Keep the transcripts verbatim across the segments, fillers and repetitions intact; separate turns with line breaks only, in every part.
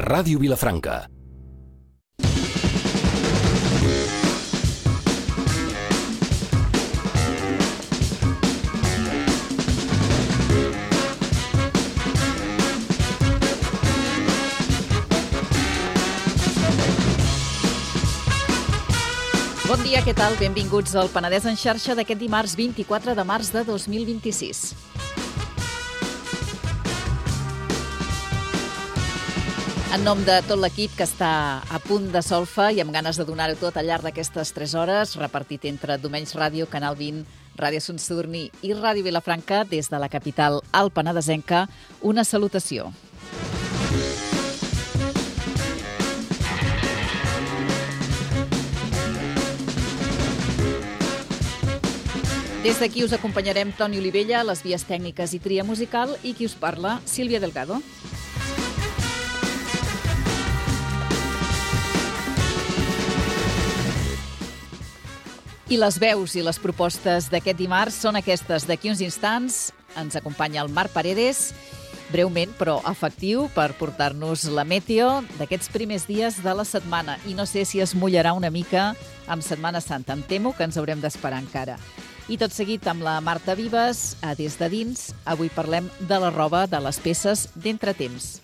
Ràdio Vilafranca.
Bon dia, què tal? Benvinguts al Penedès en xarxa d'aquest dimarts vint-i-quatre de març de dos mil vint-i-sis. En nom de tot l'equip que està a punt de solfa i amb ganes de donar-ho tot al llarg d'aquestes tres hores, repartit entre Domenys Ràdio, Canal vint, Ràdio Son Sadurní i Ràdio Vilafranca, des de la capital al Penedesenca, una salutació. Des d'aquí us acompanyarem Toni Olivella, les vies tècniques i tria musical, i qui us parla, Sílvia Delgado. I les veus i les propostes d'aquest dimarts són aquestes. D'aquí uns instants ens acompanya el Marc Paredes, breument però efectiu, per portar-nos la meteo d'aquests primers dies de la setmana. I no sé si es mullarà una mica amb Setmana Santa. Em temo que ens haurem d'esperar encara. I tot seguit amb la Marta Vives, a Des de Dins. Avui parlem de la roba, de les peces d'entretemps.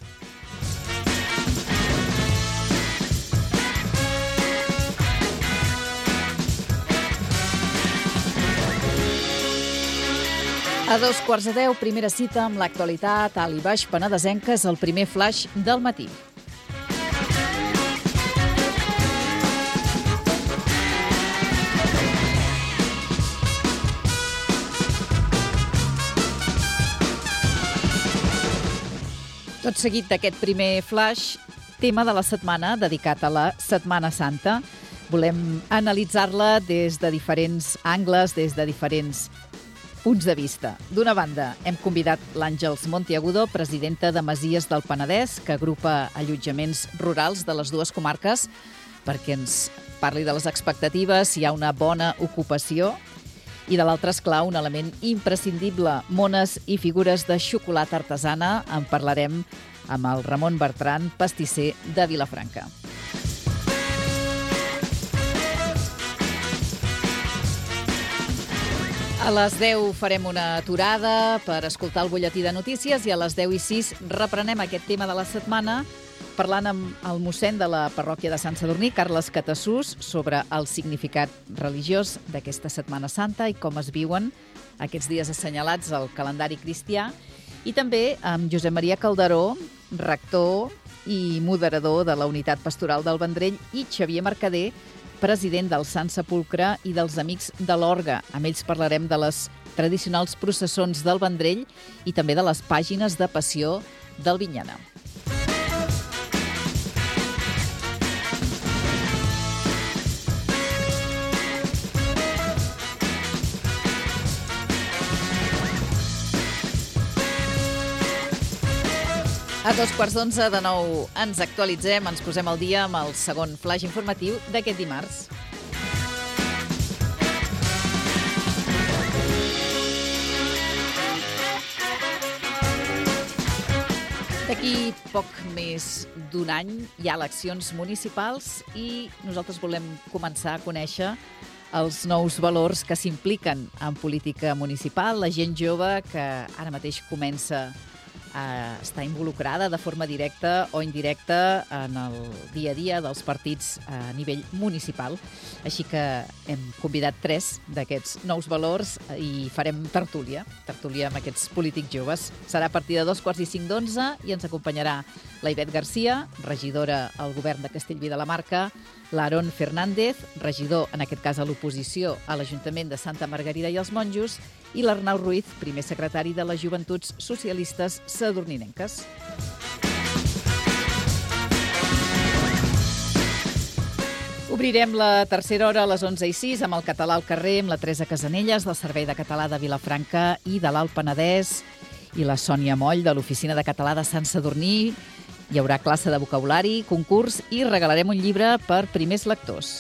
A dos quarts de deu, primera cita amb l'actualitat alt i baix penedesenca, és el primer flash del matí. Tot seguit d'aquest primer flash, tema de la setmana dedicat a la Setmana Santa. Volem analitzar-la des de diferents angles, des de diferents punts de vista. D'una banda, hem convidat l'Àngels Monteagudo, presidenta de Masies del Penedès, que agrupa allotjaments rurals de les dues comarques, perquè ens parli de les expectatives, si hi ha una bona ocupació. I de l'altre, esclar, un element imprescindible, mones i figures de xocolata artesana. En parlarem amb el Ramon Bertran, pastisser de Vilafranca. A les deu farem una aturada per escoltar el butlletí de notícies i a les deu i sis reprenem aquest tema de la setmana parlant amb el mossèn de la parròquia de Sant Sadurní, Carles Catassús, sobre el significat religiós d'aquesta Setmana Santa i com es viuen aquests dies assenyalats al calendari cristià, i també amb Josep Maria Calderó, rector i moderador de la Unitat Pastoral del Vendrell, i Xavier Mercader, president del Sant Sepulcre i dels Amics de l'Orgue. Amb ells parlarem de les tradicionals processons del Vendrell i també de les pàgines de passió del Vinyana. A dos quarts d'onze de nou ens actualitzem, ens posem al dia amb el segon flash informatiu d'aquest dimarts. D'aquí poc més d'un any hi ha eleccions municipals i nosaltres volem començar a conèixer els nous valors que s'impliquen en política municipal, la gent jove que ara mateix comença a estar involucrada de forma directa o indirecta en el dia a dia dels partits a nivell municipal. Així que hem convidat tres d'aquests nous valors i farem tertúlia, tertúlia amb aquests polítics joves. Serà a partir de dos quarts i cinc d'onze i ens acompanyarà la Ivet Garcia, regidora al govern de Castellví de la Marca, l'Aaron Fernández, regidor, en aquest cas a l'oposició, a l'Ajuntament de Santa Margarida i els Monjos, i l'Arnau Ruiz, primer secretari de les Joventuts Socialistes Sadurninenques. Obrirem la tercera hora a les onze i sis amb el Català al carrer, amb la Teresa Casanelles, del Servei de Català de Vilafranca i de l'Alt Penedès, i la Sònia Moll, de l'Oficina de Català de Sant Sadurní. Hi haurà classe de vocabulari, concurs i regalarem un llibre per primers lectors.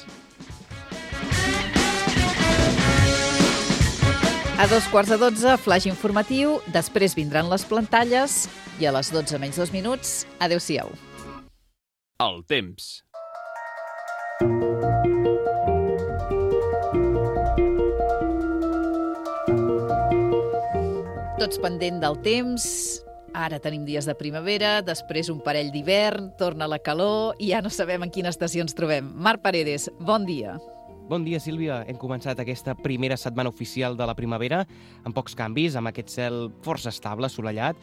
A dos quarts de dotze, flash informatiu, després vindran les plantalles i a les dotze menys dos minuts, adeu-siau.
El temps.
Tots pendent del temps. Ara tenim dies de primavera, després un parell d'hivern, torna la calor i ja no sabem en quina estació ens trobem. Marc Paredes, bon dia.
Bon dia, Sílvia. Hem començat aquesta primera setmana oficial de la primavera amb pocs canvis, amb aquest cel força estable, assolellat.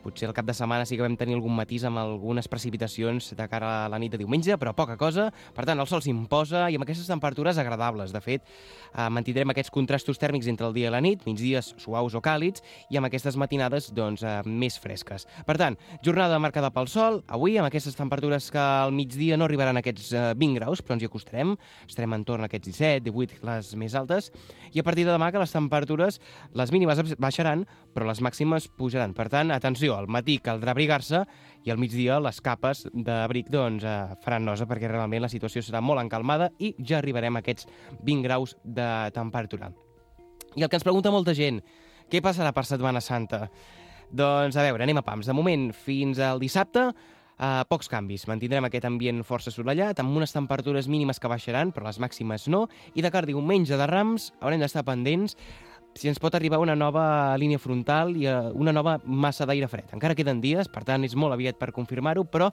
Potser el cap de setmana sí que vam tenir algun matís amb algunes precipitacions de cara a la nit de diumenge, però poca cosa. Per tant, el sol s'imposa i amb aquestes temperatures agradables. De fet, eh, mantindrem aquests contrastos tèrmics entre el dia i la nit, migdies suaus o càlids, i amb aquestes matinades doncs, eh, més fresques. Per tant, jornada marcada pel sol. Avui, amb aquestes temperatures que al migdia no arribaran a aquests eh, vint graus, però ens hi acostarem. Estarem entorn a aquests disset, divuit, les més altes. I a partir de demà que les temperatures, les mínimes baixaran, però les màximes pujaran. Per tant, atenció, al matí caldrà abrigar-se i al migdia les capes d'abric doncs, eh, faran nosa perquè realment la situació serà molt encalmada i ja arribarem a aquests vint graus de temperatura. I el que ens pregunta molta gent, què passarà per Setmana Santa? Doncs a veure, anem a pams. De moment, fins al dissabte, eh, pocs canvis. Mantindrem aquest ambient força assolellat, amb unes temperatures mínimes que baixaran, però les màximes no, i de cara a diumenge de Rams haurem d'estar pendents si ens pot arribar una nova línia frontal i una nova massa d'aire fred. Encara queden dies, per tant és molt aviat per confirmar-ho, però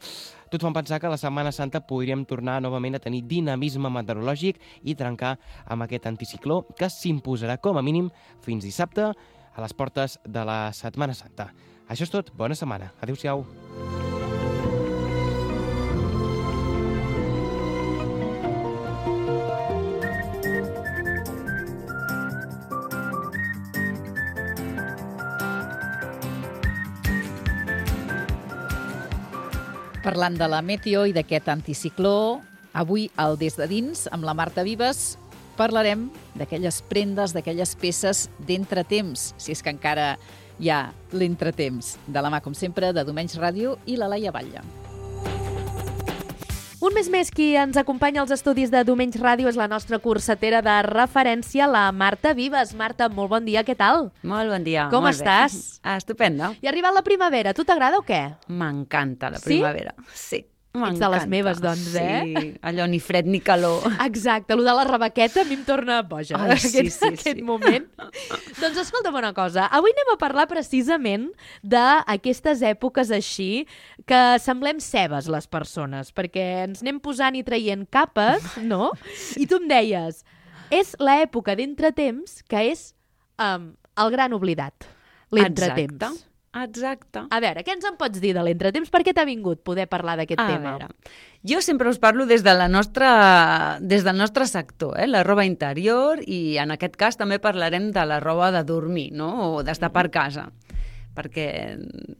tot fan pensar que la Setmana Santa podríem tornar novament a tenir dinamisme meteorològic i trencar amb aquest anticicló que s'imposarà com a mínim fins dissabte a les portes de la Setmana Santa. Això és tot. Bona setmana. Adéu-siau.
Parlant de la meteo i d'aquest anticicló, avui al Des de Dins, amb la Marta Vives, parlarem d'aquelles prendes, d'aquelles peces d'entretemps, si és que encara hi ha l'entretemps. De la mà, com sempre, de Domenys Ràdio i la Laia Batlle.
Un mes més qui ens acompanya als estudis de Domenys Ràdio és la nostra cursetera de referència, la Marta Vives. Marta, molt bon dia, què tal?
Molt bon dia.
Com
molt
estàs?
Bé. Estupenda.
I ha arribat la primavera, tu t'agrada o què?
M'encanta la
Sí?
primavera. Sí?
Ets de les meves, doncs, eh?
Sí, allò ni fred ni calor.
Exacte, allò de la rebaqueta a mi em torna boja,
Ai,
aquest,
sí, sí,
aquest
sí.
moment. Doncs escolta'm una cosa, avui anem a parlar precisament d'aquestes èpoques així que semblem cebes les persones, perquè ens anem posant i traient capes, no? I tu em deies, és l'època d'entretemps que és um, el gran oblidat, l'entretemps.
Exacte. Exacte.
A veure, què ens en pots dir de l'entretemps? Per què t'ha vingut poder parlar d'aquest
A
tema?
veure, jo sempre us parlo des, de la nostra, des del nostre sector, eh? La roba interior, i en aquest cas també parlarem de la roba de dormir, no? O d'estar per casa, perquè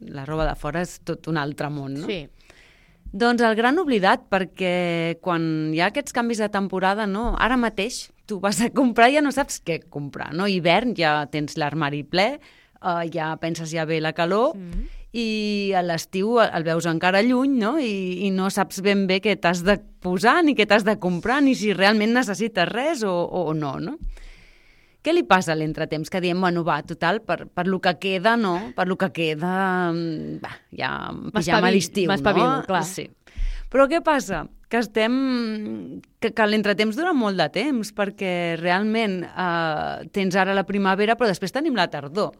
la roba de fora és tot un altre món, no?
Sí.
Doncs el gran oblidat, perquè quan hi ha aquests canvis de temporada, no? Ara mateix tu vas a comprar i ja no saps què comprar, no? Hivern ja tens l'armari ple, Uh, ja penses ja ve la calor, mm. i a l'estiu el veus encara lluny, no? I, i no saps ben bé què t'has de posar, ni què t'has de comprar, ni si realment necessites res o, o no, no? Què li passa a l'entretemps? Que diem, bueno, va, total, per, per lo que queda, no? Per lo que queda, va, ja pijama d'estiu, no?
M'espavilo, clar.
Sí. Però què passa? Que estem... que, que l'entretemps dura molt de temps, perquè realment eh, tens ara la primavera, però després tenim la tardor.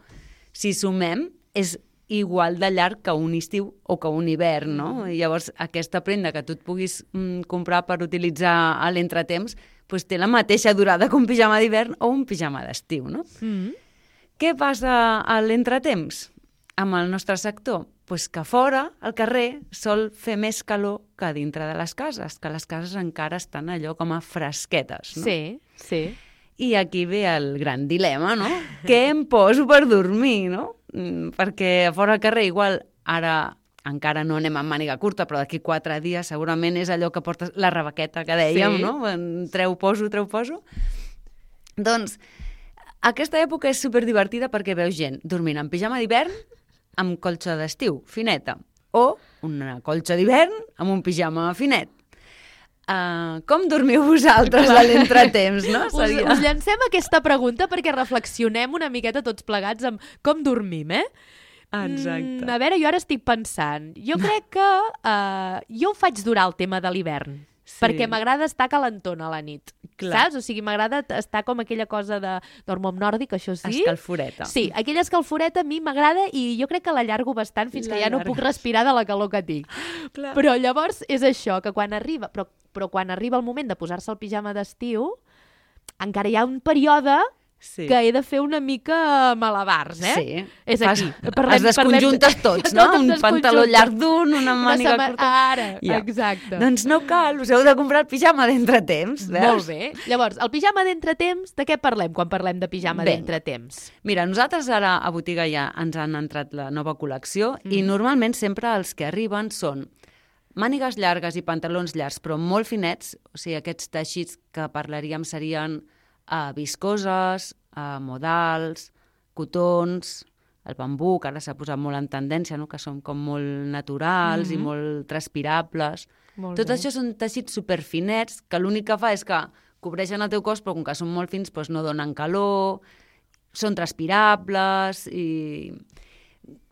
Si sumem, és igual de llarg que un estiu o que un hivern, no? I llavors, aquesta prenda que tu et puguis mm, comprar per utilitzar a l'entretemps, doncs té la mateixa durada que un pijama d'hivern o un pijama d'estiu, no?
Mm.
Què passa a l'entretemps amb el nostre sector? Pues que fora, al carrer, sol fer més calor que dintre de les cases, que les cases encara estan allò com a fresquetes, no?
Sí, sí.
I aquí ve el gran dilema, no? Què em poso per dormir, no? Mm, perquè a fora al carrer igual ara encara no anem amb màniga curta, però d'aquí quatre dies segurament és allò que portes la rebaqueta que dèiem,
Sí.
no? Treu, poso, treu, poso. Doncs aquesta època és superdivertida perquè veus gent dormint en pijama d'hivern amb colxa d'estiu, fineta, o una colxa d'hivern amb un pijama finet. Uh, com dormiu vosaltres a l'entretemps, no?
Us, us llancem aquesta pregunta perquè reflexionem una miqueta tots plegats amb com dormim, eh?
Exacte.
Mm, a veure, jo ara estic pensant. Jo crec que uh, jo ho faig durar el tema de l'hivern. Sí. Perquè m'agrada estar calentona a la nit. Clar. Saps? O sigui, m'agrada estar com aquella cosa de dormo amb nòrdic, això sí.
Escalforeta.
Sí, aquella escalforeta a mi m'agrada i jo crec que l'allargo bastant fins la que ja no puc respirar de la calor que tinc. Clar. Però llavors és això, que quan arriba... Però, però quan arriba el moment de posar-se el pijama d'estiu, encara hi ha un període... Sí. Que he de fer una mica malabars, eh?
Sí.
És aquí.
Parlem, es desconjuntes parlem... tots, no? Un pantaló llarg d'un, una màniga
una
curta.
Ara, ja. Exacte.
Doncs no cal, us heu de comprar el pijama d'entretemps, veus?
Molt bé. Llavors, el pijama d'entretemps, de què parlem quan parlem de pijama d'entretemps?
Mira, nosaltres ara a botiga ja ens han entrat la nova col·lecció mm. i normalment sempre els que arriben són mànigues llargues i pantalons llargs, però molt finets, o sigui, aquests teixits que parlaríem serien Uh, viscoses, uh, modals, cotons, el bambú, que ara s'ha posat molt en tendència, no? Que són com molt naturals mm-hmm. i molt transpirables. Molt Tot bé. Això són teixits superfinets que l'únic que fa és que cobreixen el teu cos, però com que són molt fins doncs no donen calor, són transpirables i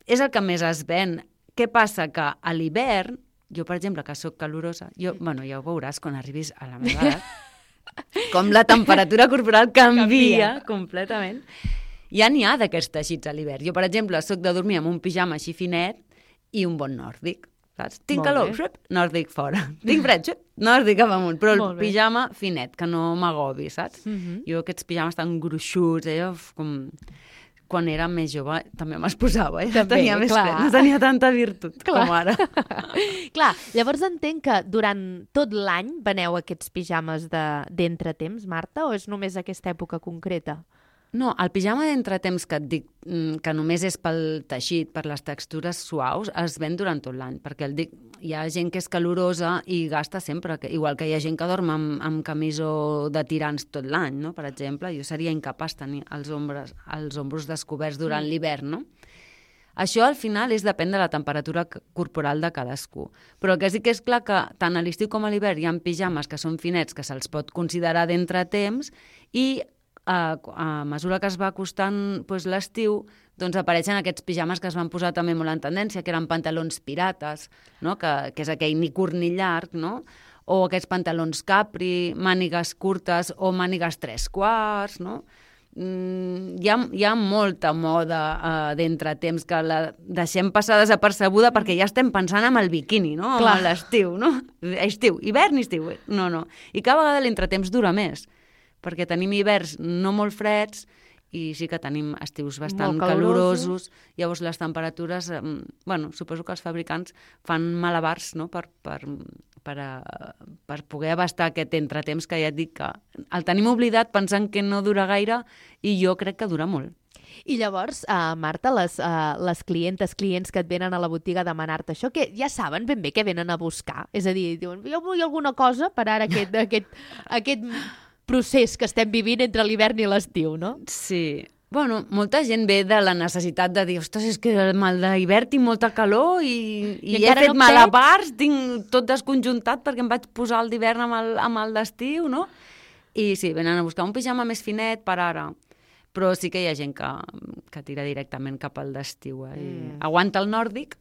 és el que més es ven. Què passa? Que a l'hivern, jo per exemple, que sóc calorosa, jo, bueno, ja ho veuràs quan arribis a la meva edat, com la temperatura corporal canvia, canvia. completament. Ja n'hi ha d'aquests teixits a l'hivern. Jo, per exemple, sóc de dormir amb un pijama així finet i un bon nòrdic. Saps? Tinc Molt calor, xup, nòrdic fora. Tinc fred, xup, nòrdic cap amunt. Però el pijama finet, que no m'agobi, saps? Uh-huh. Jo aquests pijames tan gruixuts, allò com... Quan era més jove també m'esposava, eh? També, tenia més clar. Fet, no tenia tanta virtut clar. Com ara.
Clar, llavors entenc que durant tot l'any veneu aquests pijames d'entretemps, de, Marta, o és només aquesta època concreta?
No, el pijama d'entretemps que et dic, que només és pel teixit, per les textures suaus, es ven durant tot l'any, perquè el dic, hi ha gent que és calorosa i gasta sempre, que, igual que hi ha gent que dorm amb, amb camisó de tirants tot l'any, no? Per exemple, jo seria incapaç tenir els ombres, els ombros descoberts durant mm. l'hivern, no? Això al final és depèn de la temperatura corporal de cadascú. Però el que sí que és clar que tant a l'estiu com a l'hivern hi ha pijames que són finets que se'ls pot considerar d'entretemps i A, a mesura que es va acostant doncs, l'estiu, doncs apareixen aquests pijames que es van posar també molt en tendència, que eren pantalons pirates, no? que, que és aquell ni curt ni llarg, no? O aquests pantalons capri, mànigues curtes o mànigues tres quarts, no? Mm, hi, ha, hi ha molta moda uh, d'entretemps que la deixem passar desapercebuda perquè ja estem pensant en el biquini, no? En l'estiu, no? Estiu, hivern i estiu. No, no. I cada vegada l'entretemps dura més, perquè tenim hiverns no molt freds i sí que tenim estius bastant calorosos. Llavors les temperatures, eh, bueno, suposo que els fabricants fan malabars, no? per, per, per, a, per poder abastar aquest entretemps que ja et dic que el tenim oblidat pensant que no dura gaire i jo crec que dura molt.
I llavors, uh, Marta, les, uh, les clientes, clients que et venen a la botiga a demanar-te això, que ja saben ben bé què venen a buscar? És a dir, diuen, jo vull alguna cosa per ara aquest... aquest, aquest procés que estem vivint entre l'hivern i l'estiu, no?
Sí. Bueno, molta gent ve de la necessitat de dir, ostres, és que el mal d'hivern tinc molta calor i, i, I he fet no malabars, tinc tot desconjuntat perquè em vaig posar el d'hivern amb el, amb el d'estiu, no? I sí, venen a buscar un pijama més finet per ara. Però sí que hi ha gent que, que tira directament cap al d'estiu. Eh? Mm. Aguanta el nòrdic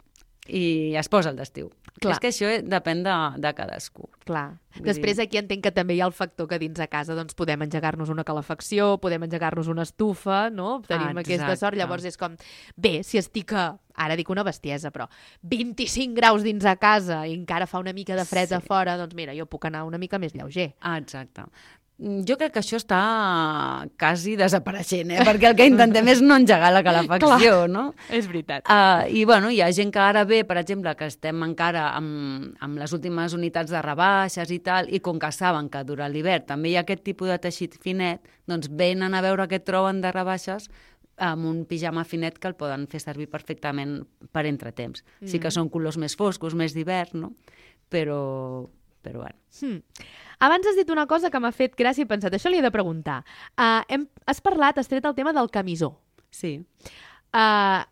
i es posa el d'estiu. Clar. És que això depèn de, de cadascú.
Clar. Vull Després dir... aquí entenc que també hi ha el factor que dins de casa doncs, podem engegar-nos una calefacció, podem engegar-nos una estufa, no? Tenim ah, aquesta sort. Llavors és com, bé, si estic a, ara dic una bestiesa, però vint-i-cinc graus dins de casa i encara fa una mica de fred sí. a fora, doncs mira, jo puc anar una mica més lleuger.
Ah, exacte. Jo crec que això està quasi desapareixent, eh? Perquè el que intentem és no engegar la calefacció,
Clar,
no?
És veritat.
Uh, I, bueno, hi ha gent que ara ve, per exemple, que estem encara amb, amb les últimes unitats de rebaixes i tal, i com que saben que durant l'hivern també hi ha aquest tipus de teixit finet, doncs venen a veure què troben de rebaixes amb un pijama finet que el poden fer servir perfectament per entretemps. Mm. Sí que són colors més foscos, més d'hivern, no? Però... però bueno.
Hmm. Abans has dit una cosa que m'ha fet gràcia i he pensat, això li he de preguntar. Uh, hem, has parlat, has tret el tema del camisó.
Sí.
Uh,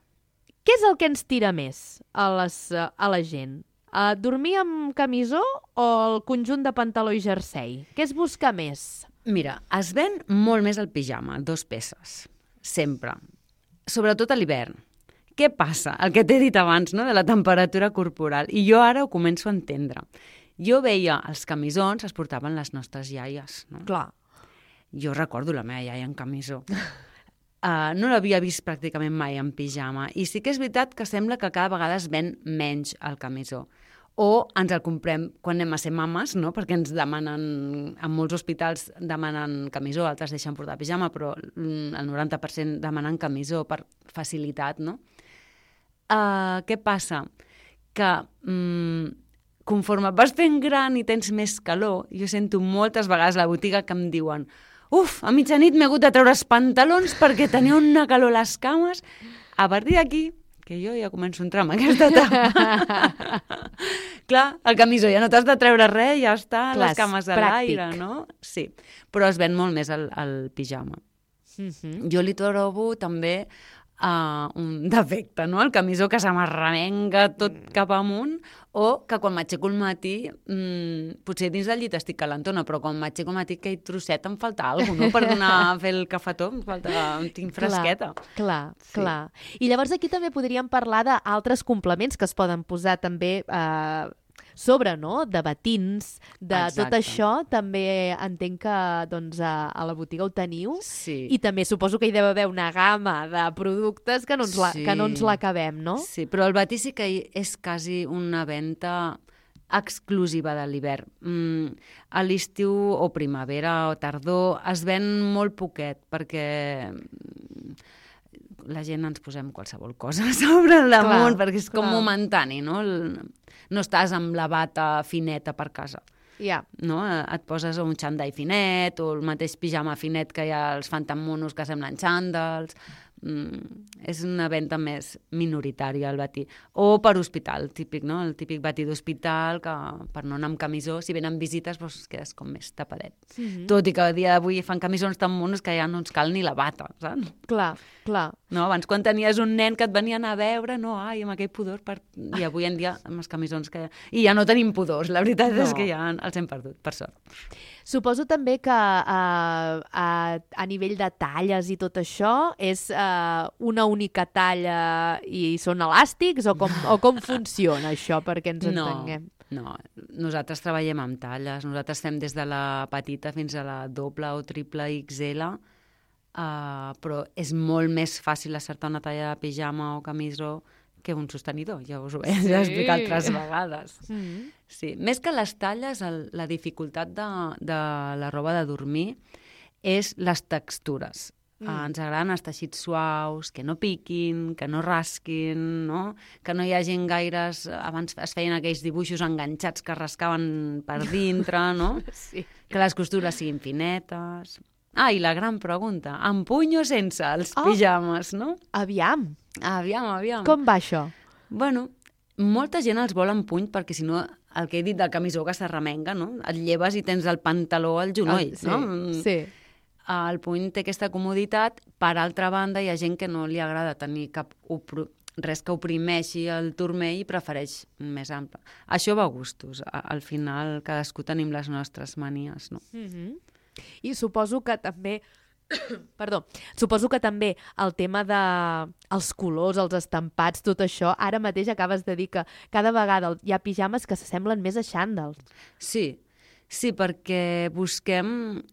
què és el que ens tira més a, les, uh, a la gent? Uh, dormir amb camisó o el conjunt de pantaló i jersei? Què es busca més?
Mira, es ven molt més el pijama, dos peces, sempre. Sobretot a l'hivern. Què passa? El que t'he dit abans, no?, de la temperatura corporal. I jo ara ho començo a entendre. Jo veia els camisons, es portaven les nostres iaies, no?
Clar.
Jo recordo la meva iaia en camisó. Uh, no l'havia vist pràcticament mai en pijama. I sí que és veritat que sembla que cada vegada es ven menys el camisó. O ens el comprem quan anem a ser mames, no?, perquè ens demanen, en molts hospitals demanen camisó, altres deixen portar pijama, però el noranta per cent demanen camisó per facilitat, no? Uh, què passa? Que um, conforme vas fent gran i tens més calor, jo sento moltes vegades a la botiga que em diuen uf, a mitjanit m'he hagut de treure els pantalons perquè tenia una calor a les cames. A partir d'aquí, que jo ja començo a entrar en aquesta etapa. Clar, el camisó ja no t'has de treure res, ja està,
Clar,
les cames a l'aire, no? Sí, però es ven molt més el, el pijama.
Mm-hmm.
Jo li trobo també uh, un defecte, no? El camisó que se m'arremenga tot cap amunt, o que quan m'aixeco al matí, mmm, potser dins del llit estic calentona, però quan m'aixeco al matí aquell trosset em falta alguna cosa, no? Per donar a fer el cafetó, em falta, em tinc fresqueta.
Clar, clar,
Sí.
clar. I llavors aquí també podríem parlar d'altres complements que es poden posar també eh, sobre, no?, de batins, de
Exacte.
tot això, també entenc que doncs, a, a la botiga ho teniu.
Sí.
I també suposo que hi deu haver una gamma de productes que no ens la,
Sí.
que no ens l'acabem, no?
Sí, però el batí sí que és quasi una venda exclusiva de l'hivern. Mm, a l'estiu o primavera o tardor es ven molt poquet perquè la gent ens posem qualsevol cosa sobre el damunt,
Clar,
perquè és com
clar.
momentani, no? El, no estàs amb la bata fineta per casa.
Ja.
No? Et poses un xandall finet o el mateix pijama finet que ja els fan tan monos que semblen xandalls. Mm, és una venda més minoritària al batí. O per hospital, típic, no? El típic batí d'hospital que per no anar amb camisó, si venen visites, doncs quedes com més tapadet.
Mm-hmm.
Tot i que a dia d'avui fan camisons tan monos que ja no ens cal ni la bata, saps?
Clar, clar.
No, abans quan tenies un nen que et venien a veure, no, ai, amb aquell pudor, per... i avui en dia amb els camisons que... I ja no tenim pudors, la veritat
No.
és que ja els hem perdut, per sort.
Suposo també que uh, a, a nivell de talles i tot això és uh, una única talla i són elàstics o com, o com funciona això perquè ens
No,
entenguem?
no, nosaltres treballem amb talles, nosaltres fem des de la petita fins a la doble o triple X L, uh, però és molt més fàcil acertar una talla de pijama o camisó que un sostenidor, ja us ho he
Sí.
explicat altres vegades.
Mm-hmm.
Sí, més que les talles, el, la dificultat de, de la roba de dormir és les textures. Mm. Uh, ens agraden els teixits suaus, que no piquin, que no rasquin, no? Que no hi hagin gaires... Abans es feien aquells dibuixos enganxats que rascaven per dintre, no?
Sí.
Que les costures siguin finetes. Ah, i la gran pregunta, amb puny o sense els
Oh.
pijames, no?
Aviam,
Aviam, aviam.
com va això?
Bueno, molta gent els vol amb puny perquè si no, el que he dit del camisó que s'arremenga, no? Et lleves i tens el pantaló al genoll,
Ah, sí,
no? Mm,
sí.
El puny té aquesta comoditat. Per altra banda, hi ha gent que no li agrada tenir cap opro... res que oprimeixi el turmell i prefereix més ample. Això va a gustos. A- Al final, cadascú tenim les nostres manies, no?
Mm-hmm. I suposo que també... Perdó, suposo que també el tema de els colors, els estampats, tot això, ara mateix acabes de dir que cada vegada hi ha pijames que s'assemblen més a xandals.
Sí, sí, perquè busquem...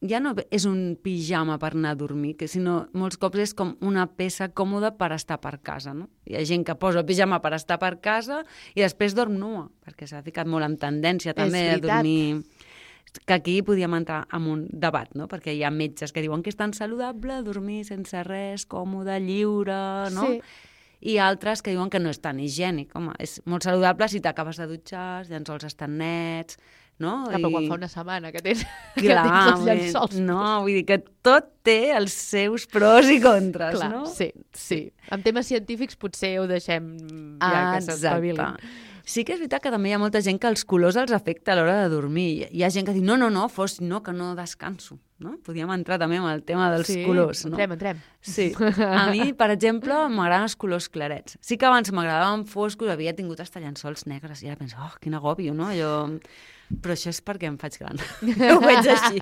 Ja no és un pijama per anar a dormir, que sinó molts cops és com una peça còmoda per estar per casa, no? Hi ha gent que posa el pijama per estar per casa i després dorm nua, perquè s'ha ficat molt en tendència també a
veritat.
dormir... Que aquí podíem entrar en un debat, no? Perquè hi ha metges que diuen que és tan saludable dormir sense res, còmode, lliure, no?
Sí.
I altres que diuen que no és tan higiènic. Home, és molt saludable si t'acabes de dutxar, els llençols estan nets, no?
Clar, però quan
I-
fa una setmana que tens, que
Clar,
tens els
vull dir,
llençols.
no, vull dir que tot té els seus pros i contres,
Clar,
no?
sí, sí. En temes científics potser ho deixem ja que s'espavilin.
Sí que és veritat que també hi ha molta gent que els colors els afecta a l'hora de dormir. Hi ha gent que diu, no, no, no, fos, no, que no descanso. No? Podríem entrar també amb el tema dels
Sí,
colors. No?
entrem, entrem.
Sí. A mi, per exemple, m'agraden els colors clarets. Sí que abans m'agradaven foscos, havia tingut hasta llençols negres i ara penso, oh, quin agòbio, no? Allò... Però això és perquè em faig gran. Ho veig així.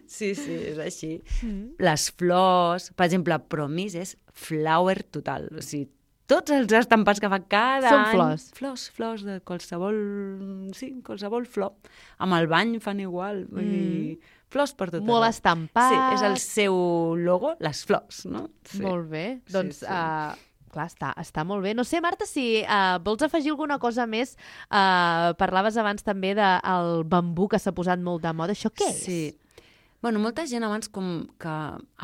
Sí, sí, és així.
Mm.
Les flors, per exemple, Promis és flower total. O sigui, tots els estampats que fa cada
Són
any...
flors.
Flors, flors de qualsevol... Sí, qualsevol flor. Amb el bany fan igual. Vull
Mm.
dir, flors per tot.
Molt
arreu.
estampat.
Sí, és el seu logo, les flors, no? Sí.
Molt bé.
Sí,
Doncs,
sí.
Uh, clar, està, està molt bé. No sé, Marta, si uh, vols afegir alguna cosa més. Uh, parlaves abans també del bambú que s'ha posat molt de moda. Això què és?
Sí. Bueno, molta gent abans com que...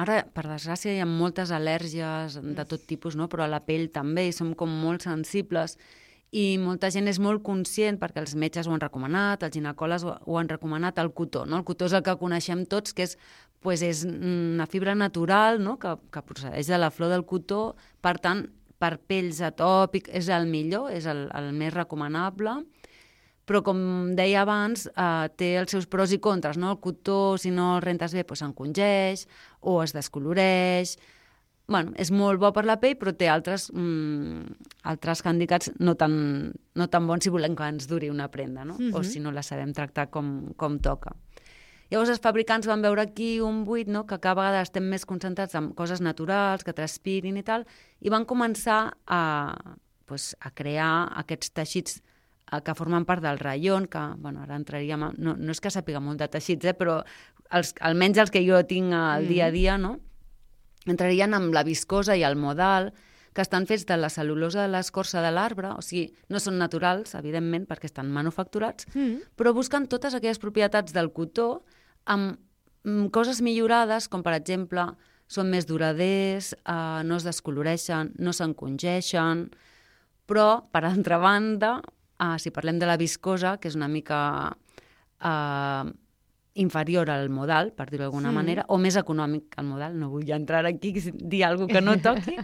Ara, per desgràcia, hi ha moltes al·lèrgies de tot tipus, no? Però a la pell també, i som com molt sensibles. I molta gent és molt conscient, perquè els metges ho han recomanat, els ginecòlegs ho, ho han recomanat, el cotó. No? El cotó és el que coneixem tots, que és, pues, és una fibra natural, no? que, que procedeix de la flor del cotó. Per tant, per pells atòpic és el millor, és el, el més recomanable. Però, com deia abans, eh, té els seus pros i contres. No? El cotó, si no el rentes bé, doncs s'encongeix o es descoloreix. Bueno, és molt bo per la pell, però té altres, mm, altres handicats no tan, no tan bons si volem que ens duri una prenda, no?
Mhm.
O si no la sabem tractar com, com toca. Llavors els fabricants van veure aquí un buit, no? Que cada vegada estem més concentrats en coses naturals, que transpirin i tal, i van començar a, pues, a crear aquests teixits eh, que formen part del raïon, que bueno, ara entraríem... A, no, no és que sàpiga molt de teixits, eh, però els, almenys els que jo tinc al dia a dia, no? Entrarien amb la viscosa i el modal, que estan fets de la cel·lulosa de l'escorça de l'arbre, o sigui, no són naturals, evidentment, perquè estan manufacturats,
Mm.
però busquen totes aquelles propietats del cotó amb mm, coses millorades, com per exemple, són més duraders, eh, no es descoloreixen, no s'encongeixen, però, per altra banda, eh, si parlem de la viscosa, que és una mica... Eh, inferior al modal, per dir-ho d'alguna
Sí.
manera, o més econòmic al modal, no vull entrar aquí i dir alguna cosa que no toqui.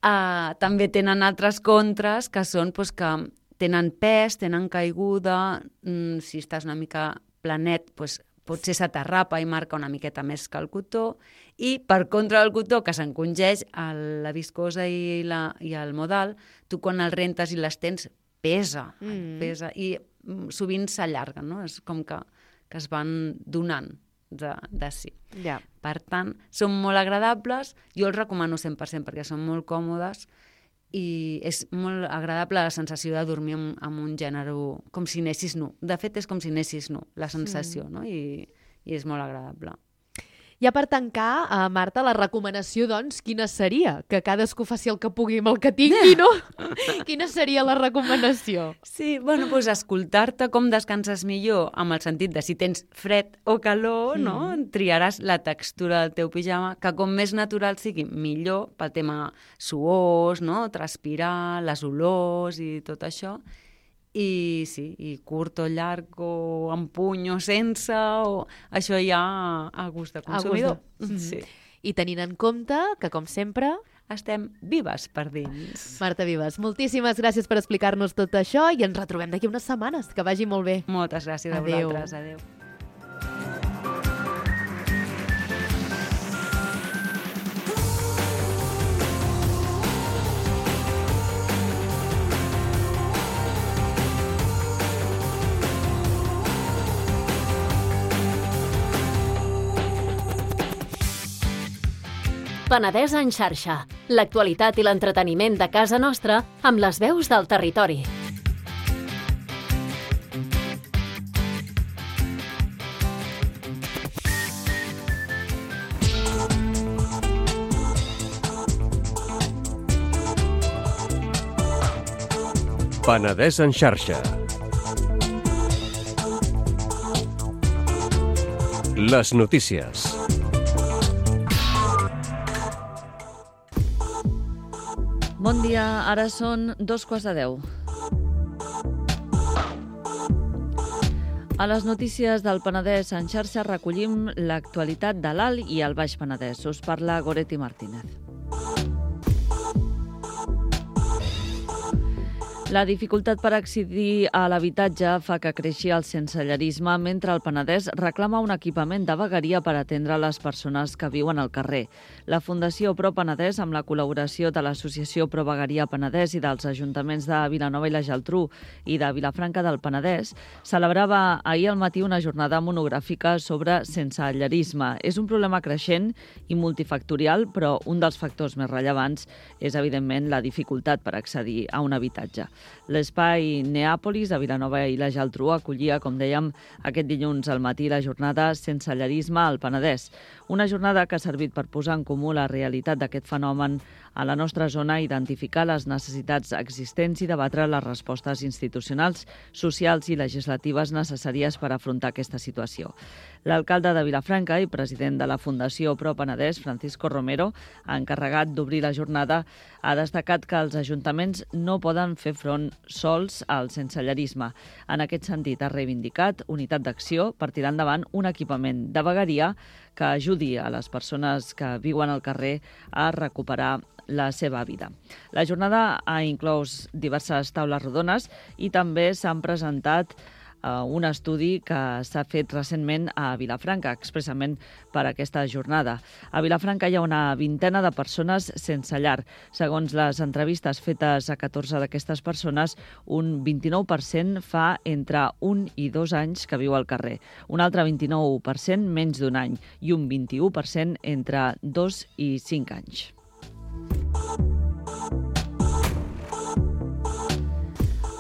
uh, també tenen altres contres, que són pues, que tenen pes, tenen caiguda, mm, si estàs una mica planet, pues, potser se t'arrapa i marca una miqueta més que el cotó, i per contra del cotó, que s'encongeix, el- la viscosa i, la, i el modal, tu quan el rentes i l'estens, pesa,
Mm.
pesa, i mm, sovint s'allarguen, no? És com que que es van donant de, de si.
Ja.
Per tant, són molt agradables, jo els recomano cent per cent perquè són molt còmodes i és molt agradable la sensació de dormir amb, amb un gènere com si anessis nu. De fet, és com si anessis nu, la sensació, no? I, i és molt agradable.
Ja per tancar, uh, Marta, la recomanació, doncs, quina seria? Que cadascú faci el que pugui amb el que tingui, no? Quina seria la recomanació?
Sí, bueno, doncs escoltar-te com descanses millor, amb el sentit de si tens fred o calor, no? Triaràs la textura del teu pijama, que com més natural sigui, millor, pel tema suors, no? Transpirar, les olors i tot això. I sí, i curt o llarg, o amb puny o sense, o això ja a gust de consumidor.
A gust de...
Sí.
I tenint en compte que, com sempre...
Estem vives per dins.
Marta Vives, moltíssimes gràcies per explicar-nos tot això i ens retrobem d'aquí unes setmanes. Que vagi molt bé.
Moltes gràcies a
Adéu.
vosaltres. Adéu.
Penedès en xarxa. L'actualitat i l'entreteniment de casa nostra amb les veus del territori.
Penedès en xarxa. Les notícies.
Bon dia, ara són dos quarts de deu. A les notícies del Penedès en xarxa recollim l'actualitat de l'Alt i el Baix Penedès. Us parla Goretti Martínez. La dificultat per accedir a l'habitatge fa que creixi el sensellarisme, mentre el Penedès reclama un equipament de vegueria per atendre les persones que viuen al carrer. La Fundació Pro Penedès, amb la col·laboració de l'Associació Pro Vegueria Penedès i dels ajuntaments de Vilanova i la Geltrú i de Vilafranca del Penedès, celebrava ahir al matí una jornada monogràfica sobre sensellarisme. És un problema creixent i multifactorial, però un dels factors més rellevants és, evidentment, la dificultat per accedir a un habitatge. L'espai Neàpolis de Vilanova i la Geltrú acollia, com dèiem, aquest dilluns al matí la jornada Sensellarisme al Penedès. Una jornada que ha servit per posar en comú la realitat d'aquest fenomen a la nostra zona, identificar les necessitats existents i debatre les respostes institucionals, socials i legislatives necessàries per afrontar aquesta situació. L'alcalde de Vilafranca i president de la Fundació Pro Penedès, Francisco Romero, encarregat d'obrir la jornada, ha destacat que els ajuntaments no poden fer front sols al sensellarisme. En aquest sentit, ha reivindicat unitat d'acció per tirar endavant un equipament de vegueria que ajudi a les persones que viuen al carrer a recuperar la seva vida. La jornada ha inclòs diverses taules rodones i també s'han presentat Uh, un estudi que s'ha fet recentment a Vilafranca, expressament per aquesta jornada. A Vilafranca hi ha una vintena de persones sense llar. Segons les entrevistes fetes a catorze d'aquestes persones, un vint-i-nou per cent fa entre un i dos anys que viu al carrer, un altre vint-i-nou per cent menys d'un any i un vint-i-u per cent entre dos i cinc anys.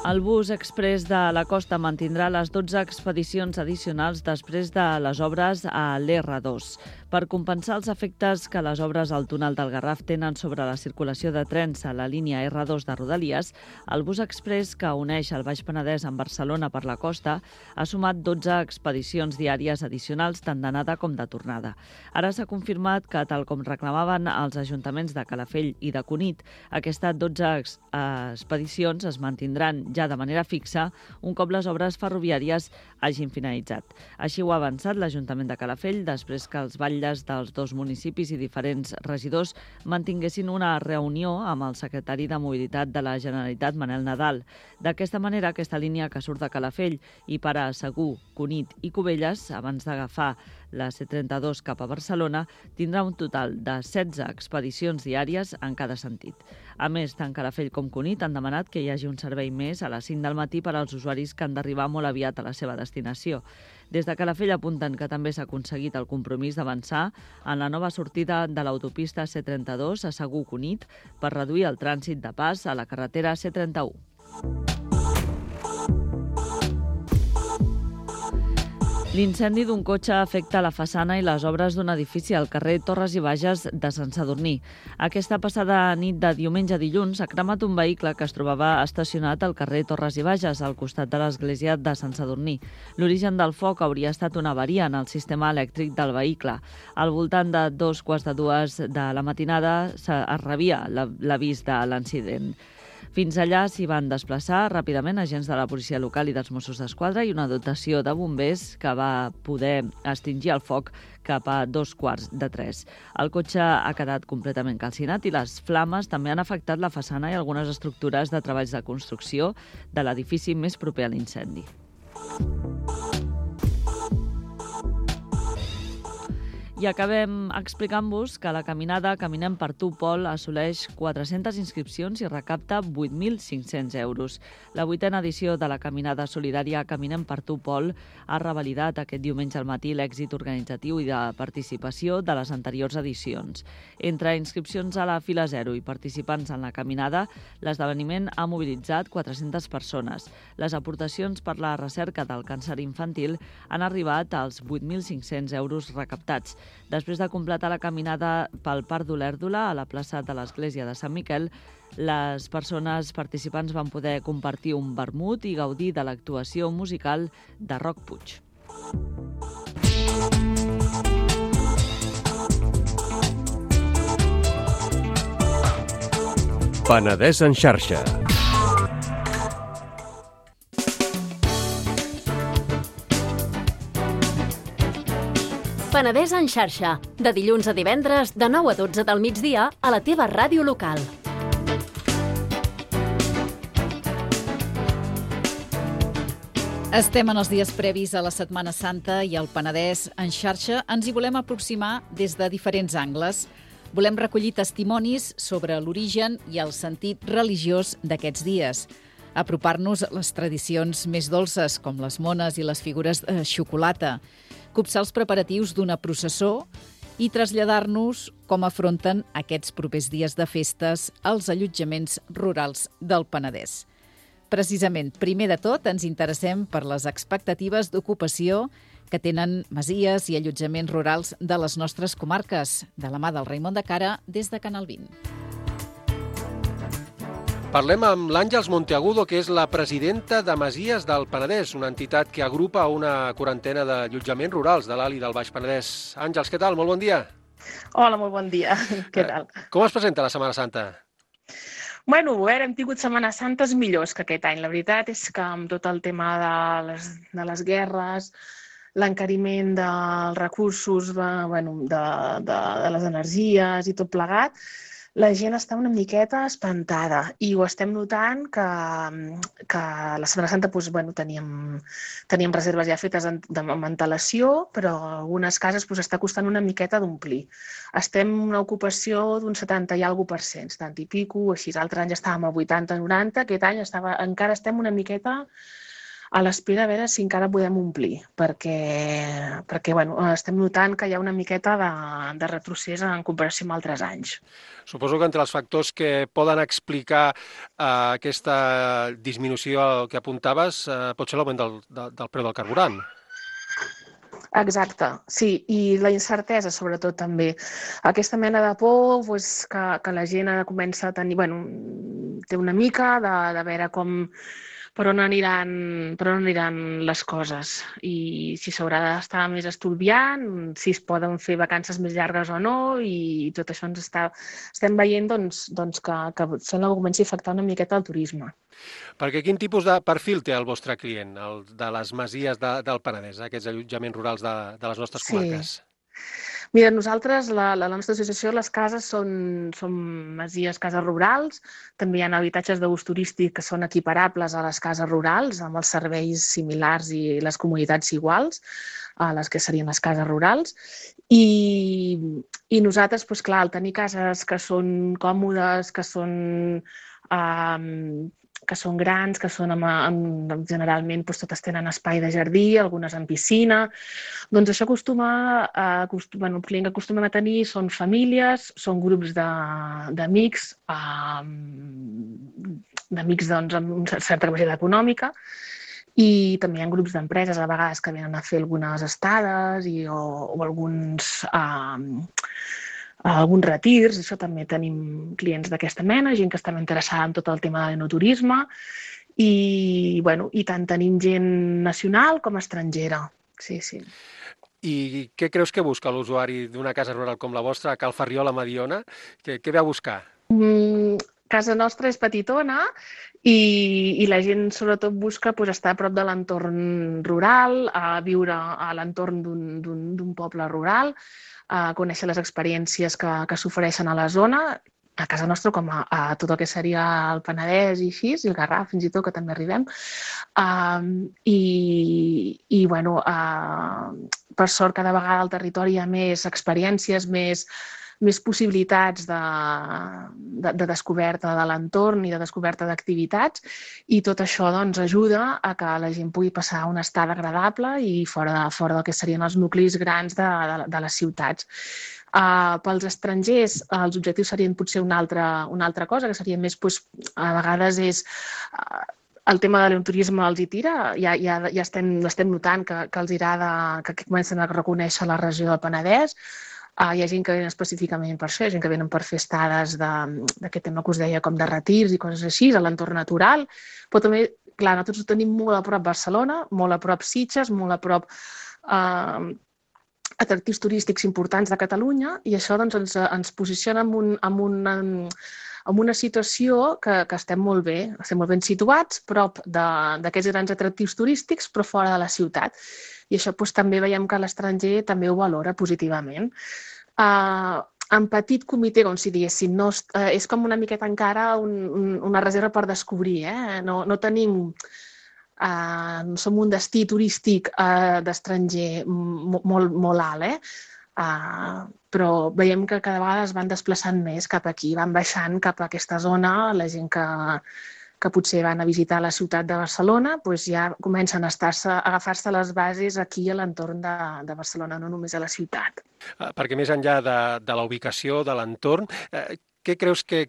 El bus express de la Costa mantindrà les dotze expedicions addicionals després de les obres a l'erra dos. Per compensar els efectes que les obres al túnel del Garraf tenen sobre la circulació de trens a la línia erra dos de Rodalies, el bus express que uneix el Baix Penedès amb Barcelona per la Costa ha sumat dotze expedicions diàries addicionals tant d'anada com de tornada. Ara s'ha confirmat que, tal com reclamaven els ajuntaments de Calafell i de Cunit, aquestes dotze expedicions es mantindran ja de manera fixa un cop les obres ferroviàries hagin finalitzat. Així ho ha avançat l'Ajuntament de Calafell després que els batlles dels dos municipis i diferents regidors mantinguessin una reunió amb el secretari de Mobilitat de la Generalitat, Manel Nadal. D'aquesta manera, aquesta línia que surt de Calafell i para a Segur, Cunit i Cubelles, abans d'agafar la C trenta-dos cap a Barcelona, tindrà un total de setze expedicions diàries en cada sentit. A més, tant Calafell com Cunit han demanat que hi hagi un servei més a les cinc del matí per als usuaris que han d'arribar molt aviat a la seva destinació. Des de Calafell apunten que també s'ha aconseguit el compromís d'avançar en la nova sortida de l'autopista C trenta-dos a Segur Cunit per reduir el trànsit de pas a la carretera C trenta-u. L'incendi d'un cotxe afecta la façana i les obres d'un edifici al carrer Torres i Bages de Sant Sadurní. Aquesta passada nit de diumenge a dilluns ha cremat un vehicle que es trobava estacionat al carrer Torres i Bages, al costat de l'església de Sant Sadurní. L'origen del foc hauria estat una avaria en el sistema elèctric del vehicle. Al voltant de dos quarts de dues de la matinada es rebia l'avís de l'incident. Fins allà s'hi van desplaçar ràpidament agents de la policia local i dels Mossos d'Esquadra i una dotació de bombers que va poder extingir el foc cap a dos quarts de tres. El cotxe ha quedat completament calcinat i les flames també han afectat la façana i algunes estructures de treballs de construcció de l'edifici més proper a l'incendi. I acabem explicant-vos que la caminada Caminem per tu, Pol, assoleix quatre-centes inscripcions i recapta vuit mil cinc-cents euros. La vuitena edició de la caminada solidària Caminem per tu, Pol, ha revalidat aquest diumenge al matí l'èxit organitzatiu i de participació de les anteriors edicions. Entre inscripcions a la fila zero i participants en la caminada, l'esdeveniment ha mobilitzat quatre-centes persones. Les aportacions per la recerca del càncer infantil han arribat als vuit mil cinc-cents euros recaptats. Després de completar la caminada pel Parc d'Olèrdola a la plaça de l'Església de Sant Miquel, les persones participants van poder compartir un vermut i gaudir de l'actuació musical de Roc Puig.
Penedès en xarxa.
Penedès en xarxa, de dilluns a divendres, de nou a dotze del migdia, a la teva ràdio local.
Estem en els dies previs a la Setmana Santa i al Penedès en xarxa ens hi volem aproximar des de diferents angles. Volem recollir testimonis sobre l'origen i el sentit religiós d'aquests dies, apropar-nos a les tradicions més dolces, com les mones i les figures de xocolata, copsar els preparatius d'una processó i traslladar-nos com afronten aquests propers dies de festes als allotjaments rurals del Penedès. Precisament, primer de tot, ens interessem per les expectatives d'ocupació que tenen masies i allotjaments rurals de les nostres comarques, de la mà del Raimon de Cara, des de Canal vint.
Parlem amb l'Àngels Monteagudo, que és la presidenta de Masies del Penedès, una entitat que agrupa una quarantena d'allotjaments rurals de l'Alt i del Baix Penedès. Àngels, què tal? Molt bon dia.
Hola, molt bon dia. Què tal?
Com es presenta la Setmana Santa?
Bueno, a veure, hem tingut Setmanes Santes millors que aquest any. La veritat és que amb tot el tema de les, de les guerres, l'encariment dels recursos, de, bueno, de, de, de les energies i tot plegat, la gent està una miqueta espantada i ho estem notant que, que la Setmana Santa doncs, bueno, teníem, teníem reserves ja fetes en, de, amb antelació, però algunes cases doncs, està costant una miqueta d'omplir. Estem en una ocupació d'un setanta i alguna per cent, setanta i pico, així. Altres anys estàvem a vuitanta noranta, aquest any estava, encara estem una miqueta a l'espera a veure si encara podem omplir, perquè, perquè bueno, estem notant que hi ha una miqueta de, de retrocés en comparació amb altres anys.
Suposo que entre els factors que poden explicar eh, aquesta disminució que apuntaves eh, pot ser l'augment del, del, del preu del carburant.
Exacte, sí, i la incertesa sobretot també. Aquesta mena de por pues, que, que la gent comença a tenir, bueno, té una mica de, de veure com per on aniran, per on aniran les coses i si s'haurà d'estar més estudiant, si es poden fer vacances més llargues o no, i tot això ens està, estem veient doncs, doncs que, que sembla que comenci a afectar una miqueta el turisme.
Perquè quin tipus de perfil té el vostre client, el de les masies de, del Penedès, aquests allotjaments rurals de, de les nostres comarques?
Sí. Mira, nosaltres, la, la nostra associació, les cases són, són masies, cases rurals. També hi ha habitatges d'ús turístic que són equiparables a les cases rurals, amb els serveis similars i les comunitats iguals a les que serien les cases rurals. I, i nosaltres, doncs, clar, al tenir cases que són còmodes, que són... Um, que són grans, que són amb, amb, generalment doncs, totes tenen espai de jardí, algunes amb piscina. Doncs això acostuma, a, acostuma, bueno, el client que acostumem a tenir són famílies, són grups d'amics, um, d'amics doncs, amb una certa capacitat econòmica, i també hi ha grups d'empreses a vegades que venen a fer algunes estades i, o, o alguns... Um, alguns retirs, això també tenim clients d'aquesta mena, gent que està interessada en tot el tema de l'enoturisme i, bueno, i tant tenim gent nacional com estrangera. Sí, sí.
I què creus que busca l'usuari d'una casa rural com la vostra, a Cal Ferriol, a Mediona? Què, què ve a buscar?
Mm, casa nostra és petitona i, i la gent sobretot busca pues, estar a prop de l'entorn rural, a viure a l'entorn d'un poble rural, a conèixer les experiències que, que s'ofereixen a la zona, a casa nostra com a, a tot el que seria el Penedès i així, i el Garraf fins i tot, que també arribem. Um, I, i bueno, uh, per sort, cada vegada al territori hi ha més experiències, més, més possibilitats de, de, de descoberta de l'entorn i de descoberta d'activitats, i tot això doncs, ajuda a que la gent pugui passar una estada agradable i fora, de, fora del que serien els nuclis grans de, de, de les ciutats. Uh, pels estrangers, uh, els objectius serien potser una altra, una altra cosa, que seria més, doncs, a vegades és... Uh, el tema de l'enoturisme els hi tira, ja, ja, ja estem, estem notant que, que els agrada, que, que comencen a reconèixer la regió del Penedès. Uh, hi ha gent que venen específicament per això, hi ha gent que venen per fer estades d'aquest tema que us deia, com de retirs i coses així, a l'entorn natural, però també, clar, nosaltres ho tenim molt a prop Barcelona, molt a prop Sitges, molt a prop uh, atractius turístics importants de Catalunya, i això doncs, ens, ens posiciona en, un, en, un, en una situació que, que estem molt bé, estem molt ben situats, prop d'aquests grans atractius turístics, però fora de la ciutat. I això doncs, també veiem que l'estranger també ho valora positivament. Uh, en petit comitè, com si diguéssim, no, uh, és com una miqueta encara un, un, una reserva per descobrir. Eh? No, no tenim Uh, som un destí turístic uh, d'estranger molt, molt alt, eh? Uh, però veiem que cada vegada es van desplaçant més cap aquí, van baixant cap a aquesta zona, la gent que, que potser van a visitar la ciutat de Barcelona, doncs ja comencen a, estar-se, a agafar-se les bases aquí a l'entorn de, de Barcelona, no només a la ciutat.
Uh, perquè més enllà de, de la ubicació, de l'entorn, uh, què creus que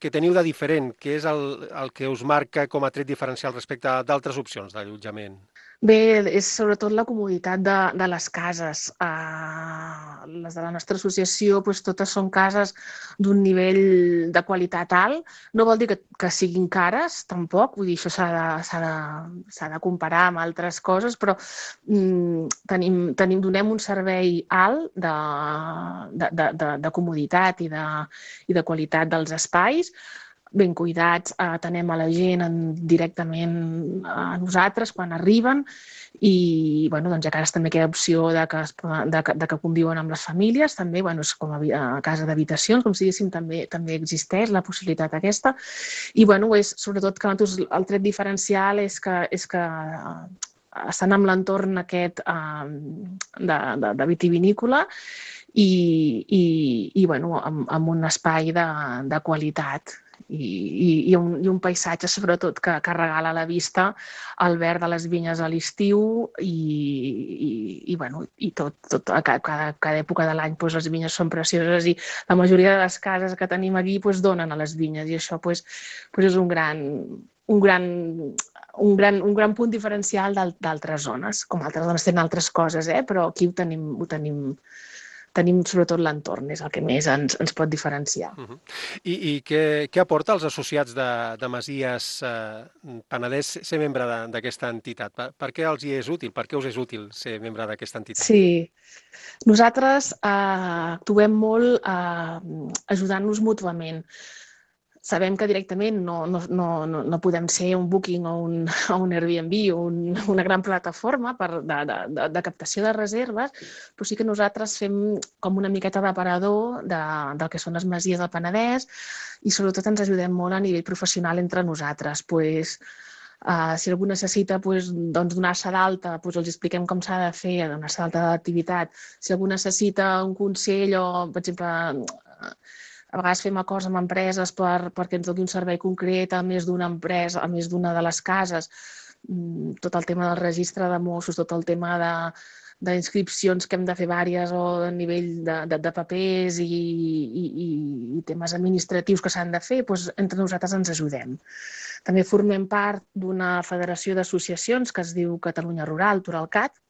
que teniu de diferent? Què és el, el que us marca com a tret diferencial respecte a d'altres opcions d'allotjament?
Bé, és sobretot la comoditat de, de les cases. Uh, les de la nostra associació, doncs, totes són cases d'un nivell de qualitat alt. No vol dir que, que siguin cares, tampoc. Vull dir, això s'ha de, s'ha de, s'ha de comparar amb altres coses, però mm, tenim, tenim, donem un servei alt de, de, de, de, de comoditat i de, i de qualitat dels espais, ben cuidats, atenem a la gent en, directament a nosaltres quan arriben i bueno, doncs, ja que ara també queda opció de que, es, de, que, de que conviuen amb les famílies, també bueno, és com a, a casa d'habitacions, com si diguéssim, també, també existeix la possibilitat aquesta. I bueno, és, sobretot que el tret diferencial és que, és que estan en l'entorn aquest eh, de, de, de vitivinícola i, i, i bueno, amb, amb un espai de, de qualitat. I, i, i, un, i un paisatge, sobretot, que, que regala a la vista el verd de les vinyes a l'estiu i, i, i, bueno, i tot, tot a cada, cada època de l'any doncs, les vinyes són precioses i la majoria de les cases que tenim aquí doncs, donen a les vinyes i això doncs, doncs és un gran, un, gran, un, gran, un gran punt diferencial d'altres zones. Com altres zones tenen altres coses, eh? Però aquí ho tenim, ho tenim tenim sobretot l'entorn, és el que més ens, ens pot diferenciar.
Uh-huh. I, i què, què aporta als associats de, de Masies eh, Penedès ser membre d'aquesta entitat? Per, per què els hi és útil? Per què us és útil ser membre d'aquesta entitat?
Sí, nosaltres eh, actuem molt eh, ajudant-nos mútuament. Sabem que directament no, no, no, no podem ser un Booking o un, o un Airbnb o un, una gran plataforma per, de, de, de captació de reserves, però sí que nosaltres fem com una miqueta d'aparador de, del que són les masies del Penedès i sobretot ens ajudem molt a nivell professional entre nosaltres. Pues, uh, si algú necessita pues, doncs, donar-se d'alta, pues, els expliquem com s'ha de fer, donar-se d'alta d'activitat. Si algú necessita un consell o, per exemple, a vegades fem acords amb empreses per, perquè ens doni un servei concret a més d'una empresa, a més d'una de les cases. Tot el tema del registre de Mossos, tot el tema de, d'inscripcions que hem de fer vàries o a nivell de, de, de papers i, i, i temes administratius que s'han de fer, doncs entre nosaltres ens ajudem. També formem part d'una federació d'associacions que es diu Catalunya Rural, Turalcat,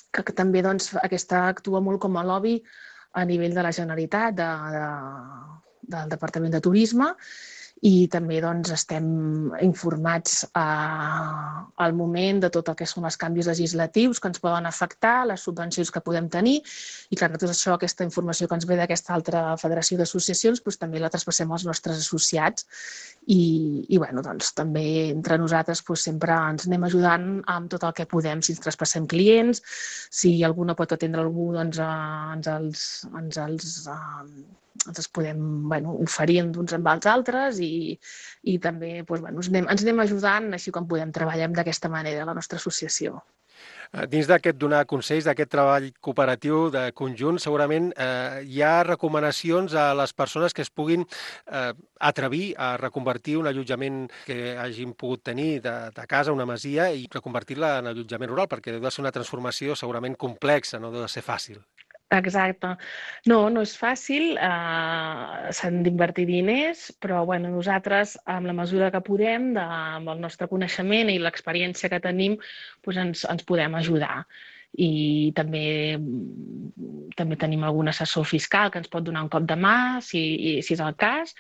que, que també doncs, aquesta actua molt com a lobby a nivell de la Generalitat, de, de, del Departament de Turisme, i també doncs, estem informats eh, al moment de tot el que són els canvis legislatius que ens poden afectar, les subvencions que podem tenir, i clar, tot això, aquesta informació que ens ve d'aquesta altra federació d'associacions, doncs, també la traspassem als nostres associats i, i bueno, doncs, també entre nosaltres doncs, sempre ens anem ajudant amb tot el que podem, si ens traspassem clients, si algú no pot atendre algú, doncs eh, ens els, ens els eh, ens els podem bueno, oferir uns amb els altres i, i també doncs, bueno, ens, anem, ens anem ajudant així com podem treballar d'aquesta manera a la nostra associació.
Dins d'aquest donar consells, d'aquest treball cooperatiu de conjunt, segurament eh, hi ha recomanacions a les persones que es puguin eh, atrevir a reconvertir un allotjament que hagin pogut tenir de, de casa, una masia, i reconvertir-la en allotjament rural, perquè deu de ser una transformació segurament complexa, no deu de ser fàcil.
Exacte. No, no és fàcil, eh, s'han d'invertir diners, però bueno, nosaltres, amb la mesura que podem, de, amb el nostre coneixement i l'experiència que tenim, doncs ens, ens podem ajudar. I també, també tenim algun assessor fiscal que ens pot donar un cop de mà, si, si és el cas,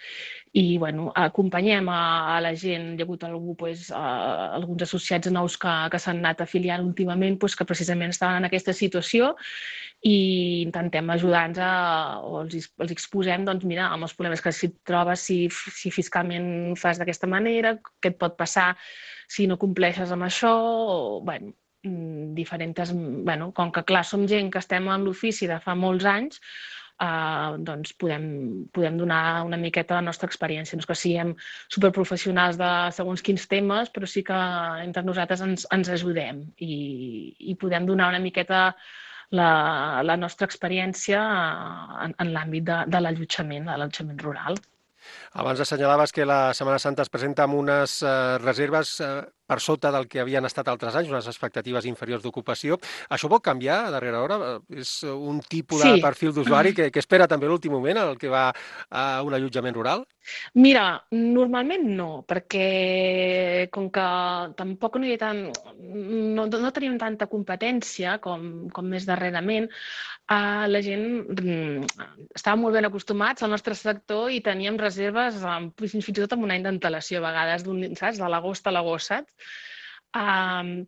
i bueno, acompanyem a, a la gent. Hi ha hagut algú, doncs, a, alguns associats nous que, que s'han anat afiliant últimament, doncs, que precisament estaven en aquesta situació, i intentem ajudar-nos a, o els, els exposem, doncs mira, amb els problemes que si et trobes, si, si fiscalment fas d'aquesta manera, què et pot passar si no compleixes amb això, o, bueno, diferents, bueno, com que clar, som gent que estem en l'ofici de fa molts anys, Uh, doncs podem, podem donar una miqueta la nostra experiència. No és que siguem superprofessionals de segons quins temes, però sí que entre nosaltres ens, ens ajudem i, i podem donar una miqueta la, la nostra experiència en, en l'àmbit de, de l'allotjament, de l'allotjament rural.
Abans assenyalaves que la Setmana Santa es presenta amb unes eh, reserves eh, per sota del que havien estat altres anys, unes expectatives inferiors d'ocupació. Això pot canviar a darrera hora? És un tipus sí. de perfil d'usuari que, que espera també l'últim moment, el que va a un allotjament rural?
Mira, normalment no, perquè com que tampoc no hi ha tant, no, no tenim tanta competència com, com més darrerament, uh, la gent mm, estava molt ben acostumats al nostre sector i teníem reserves um, fins i tot amb un any d'antelació a vegades, saps? De l'agost a l'agost, saps? Um,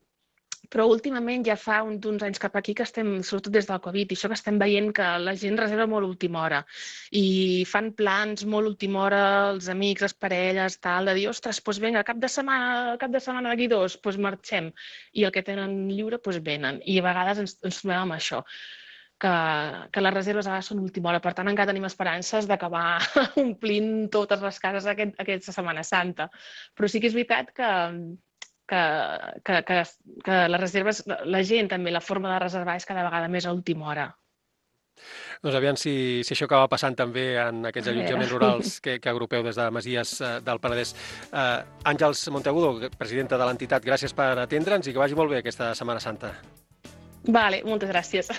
però últimament ja fa uns anys cap aquí que estem, sobretot des del Covid, i això que estem veient que la gent reserva molt a última hora i fan plans molt a última hora, els amics, les parelles, tal, de dir, ostres, doncs vinga, cap de setmana, cap de setmana d'aquí dos, doncs marxem. I el que tenen lliure, doncs venen. I a vegades ens, ens trobem amb això, que, que les reserves a vegades són a última hora. Per tant, encara tenim esperances d'acabar omplint totes les cases aquest, aquesta Setmana Santa. Però sí que és veritat que Que, que, que, que les reserves, la gent també, la forma de reservar és cada vegada més a última hora.
Doncs aviam si, si això acaba passant també en aquests allotjaments rurals que, que agrupeu des de Masies eh, del Penedès. Eh, Àngels Monteagudo, presidenta de l'entitat, gràcies per atendre'ns i que vagi molt bé aquesta Setmana Santa.
Vale, moltes gràcies.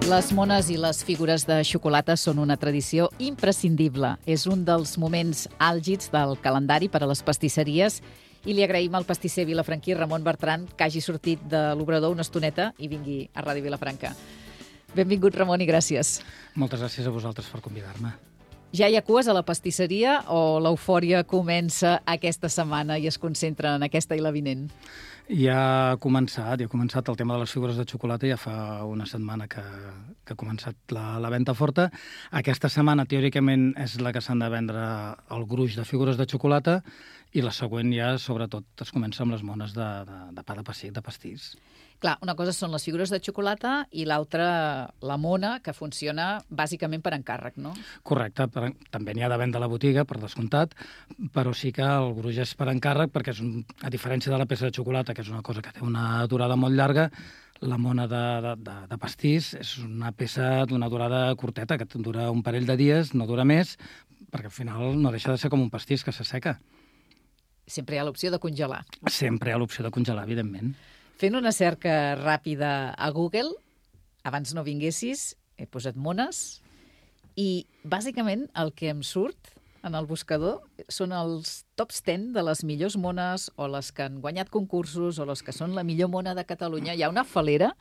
Les mones i les figures de xocolata són una tradició imprescindible. És un dels moments àlgids del calendari per a les pastisseries i li agraïm al pastisser vilafranquí Ramon Bertran que hagi sortit de l'obrador una estoneta i vingui a Ràdio Vilafranca. Benvingut, Ramon, i gràcies.
Moltes gràcies a vosaltres per convidar-me.
Ja hi ha cues a la pastisseria o l'eufòria comença aquesta setmana i es concentra en aquesta i la vinent?
Ja ha començat, ja ha començat el tema de les figures de xocolata, ja fa una setmana que, que ha començat la, la venda forta. Aquesta setmana, teòricament, és la que s'han de vendre el gruix de figures de xocolata i la següent ja, sobretot, es comença amb les mones de, de, de pa de pessic, de pastís.
Clar, una cosa són les figures de xocolata i l'altra la mona, que funciona bàsicament per encàrrec, no?
Correcte, per, també n'hi ha de venda a la botiga, per descomptat, però sí que el gruix és per encàrrec perquè, és un, a diferència de la peça de xocolata, que és una cosa que té una durada molt llarga, la mona de, de, de, de pastís és una peça d'una durada curteta, que dura un parell de dies, no dura més, perquè al final no deixa de ser com un pastís que s'asseca.
Sempre hi ha l'opció de congelar.
Sempre hi ha l'opció de congelar, evidentment.
Fent una cerca ràpida a Google, abans no vinguessis, he posat mones i bàsicament el que em surt en el buscador són els tops deu de les millors mones o les que han guanyat concursos o les que són la millor mona de Catalunya. Hi ha una falera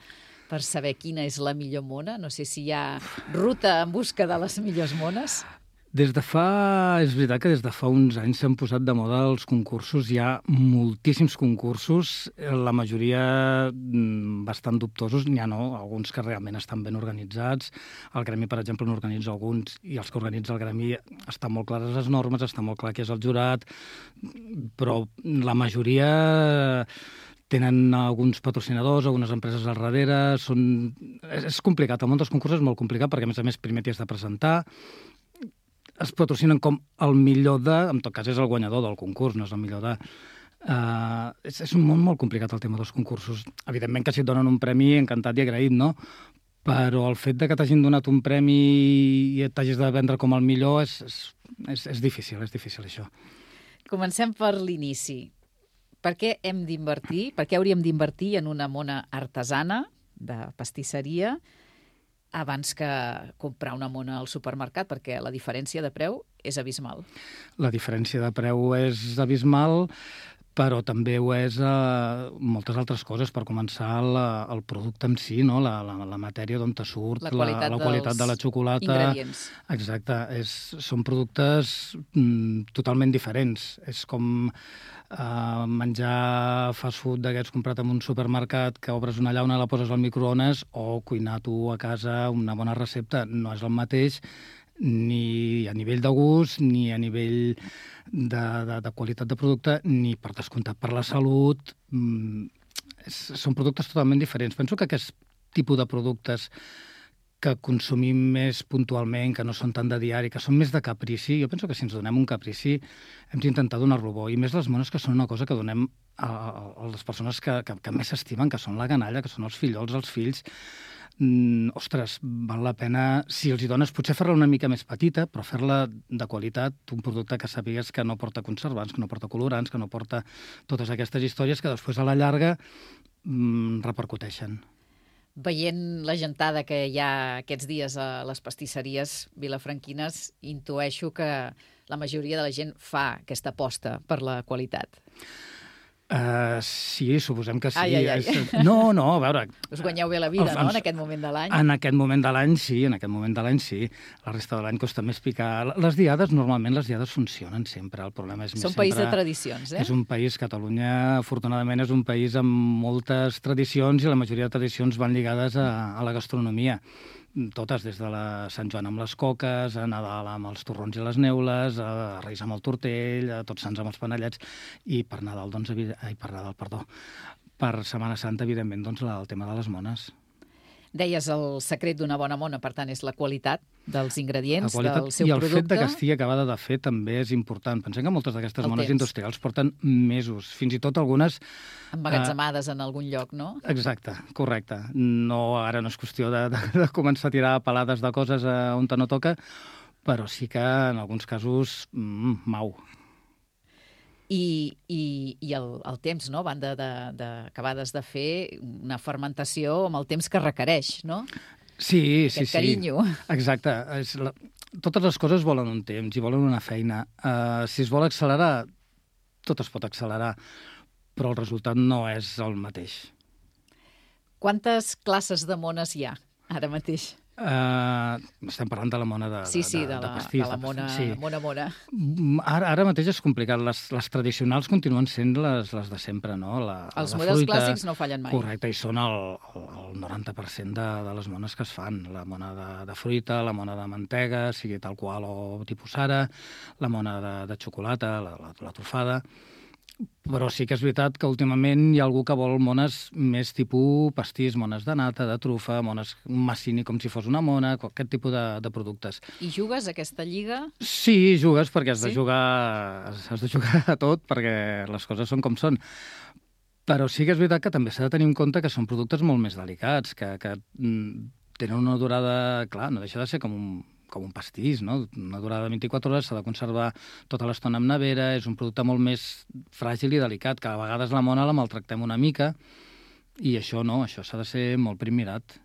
per saber quina és la millor mona? No sé si hi ha ruta en busca de les millors mones.
Des de fa... És veritat que des de fa uns anys s'han posat de moda els concursos. Hi ha moltíssims concursos, la majoria bastant dubtosos. N'hi ha, no? Alguns que realment estan ben organitzats. El gremi, per exemple, n'organitza alguns i els que organitza el gremi estan molt clares les normes, està molt clar qui és el jurat, però la majoria tenen alguns patrocinadors, algunes empreses al darrere. Són... És, és complicat. El món dels concursos és molt complicat perquè, a més a més, primer t'hi has de presentar. Es patrocinen com el millor de... En tot cas, és el guanyador del concurs, no és el millor de... Uh, és, és un món molt complicat, el tema dels concursos. Evidentment que si et donen un premi, encantat i agraït, no? Però el fet de que t'hagin donat un premi i t'hagis de vendre com el millor és, és, és, és difícil, és difícil, això.
Comencem per l'inici. Per què hem d'invertir? Per què hauríem d'invertir en una mona artesana de pastisseria abans que comprar una mona al supermercat, perquè la diferència de preu és abismal?
La diferència de preu és abismal, però també ho és eh, moltes altres coses. Per començar, la, el producte en si, no? la, la, la matèria d'on te surt,
la qualitat,
la, la qualitat de la xocolata.
Ingredients.
Exacte. És, són productes mm, totalment diferents. És com Uh, menjar fast food d'aquests comprat en un supermercat, que obres una llauna, la poses al microones, o cuinar tu a casa una bona recepta. No és el mateix ni a nivell de gust, ni a nivell de, de, de qualitat de producte, ni per descomptat per la salut. Mm, és, són productes totalment diferents. Penso que aquest tipus de productes que consumim més puntualment, que no són tant de diari, que són més de caprici, jo penso que si ens donem un caprici hem d'intentar donar-lo bo, i més les mones, que són una cosa que donem a, a les persones que, que, que més s'estimen, que són la canalla, que són els fillols, els fills. Mm, ostres, val la pena, si els hi dones, potser fer-la una mica més petita, però fer-la de qualitat, un producte que sàpigues que no porta conservants, que no porta colorants, que no porta totes aquestes històries que després a la llarga mm, repercuteixen.
Veient la gentada que hi ha aquests dies a les pastisseries vilafranquines, intueixo que la majoria de la gent fa aquesta aposta per la qualitat.
Uh, sí, suposem que sí.
Ai, ai, ai.
És... No, no, a veure...
Us guanyeu bé la vida, no?, en aquest moment de l'any.
En aquest moment de l'any, sí, en aquest moment de l'any, sí. La resta de l'any costa més picar. Les diades, normalment, les diades funcionen sempre. El problema és més
Som
sempre...
país de tradicions, eh?
És un país, Catalunya, afortunadament, és un país amb moltes tradicions, i la majoria de tradicions van lligades a, a la gastronomia. Totes, des de la Sant Joan amb les coques, a Nadal amb els torrons i les neules, a Reis amb el tortell, a Tots Sants amb els panellets, i per Nadal, doncs, ai, per Nadal, perdó, per Setmana Santa, evidentment, doncs, el tema de les mones.
Deies, el secret d'una bona mona, per tant, és la qualitat dels ingredients,
qualitat,
del seu
producte. I el
producte.
fet de que estigui acabada de fer també és important. Pensem que moltes d'aquestes
El
mones
temps.
industrials porten mesos, fins i tot algunes...
Emmagatzemades uh, en algun lloc, no?
Exacte, correcte. No, ara no és qüestió de, de, de començar a tirar pelades de coses a on no toca, però sí que en alguns casos mm, mau.
I, i, i el, el temps, no? A banda d'acabades de, de fer una fermentació amb el temps que requereix, no?
Sí,
Aquest
sí, sí.
carinyo.
Exacte. És la... Totes les coses volen un temps i volen una feina. Uh, si es vol accelerar, tot es pot accelerar, però el resultat no és el mateix.
Quantes classes de mones hi ha ara mateix?
Uh, estem parlant de la mona de,
sí, sí,
de,
de,
de,
la,
de pastís.
de la mona,
sí.
mona mona.
Ara, ara mateix és complicat. Les, les tradicionals continuen sent les, les de sempre, no? La,
Els
la
models
fruita,
clàssics no fallen mai.
Correcte, i són el, el, el noranta per cent de, de les mones que es fan. La mona de, de fruita, la mona de mantega, sigui tal qual o tipus ara, la mona de, de xocolata, la, la, la trufada. Però sí que és veritat que últimament hi ha algú que vol mones més tipus pastís, mones de nata, de trufa, mones massini com si fos una mona, aquest tipus de, de productes.
I jugues a aquesta lliga?
Sí, jugues perquè has,
sí?
de jugar, has de jugar a tot, perquè les coses són com són. Però sí que és veritat que també s'ha de tenir en compte que són productes molt més delicats, que, que mm, tenen una durada... Clar, no deixa de ser com un... com un pastís, no? Una durada de vint-i-quatre hores, s'ha de conservar tota l'estona en nevera, és un producte molt més fràgil i delicat, que a vegades la mona la maltractem una mica, i això no, això s'ha de ser molt primirat.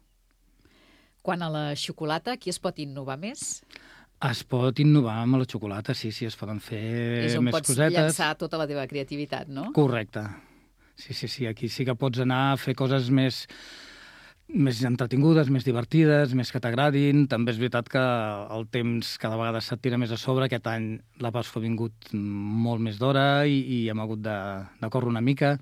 Quan a la xocolata, qui es pot innovar més?
Es pot innovar amb la xocolata, sí, sí, es poden fer
és on
més
pots
cosetes.
llançar tota la teva creativitat, no?
Correcte. Sí, sí, sí, aquí sí que pots anar a fer coses més... més entretingudes, més divertides, més que t'agradin. També és veritat que el temps cada vegada se't tira més a sobre. Aquest any la Pasqua ha vingut molt més d'hora i, i hem hagut de, de córrer una mica,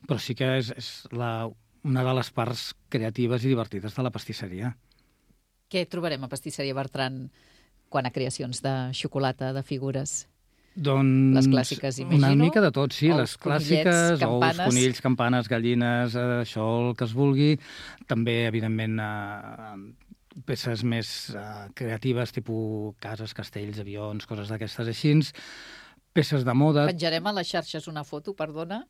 però sí que és, és la, una de les parts creatives i divertides de la pastisseria.
Què trobarem a Pastisseria Bertran quan a creacions de xocolata, de figures?
Doncs
les clàssiques, imagino.
Una mica de tot, sí.
Ous,
les clàssiques,
campanes.
Ous, conills, campanes, gallines, eh, això el que es vulgui. També, evidentment, eh, peces més eh, creatives, tipus cases, castells, avions, coses d'aquestes així. Peces de moda.
Penjarem a les xarxes una foto, perdona,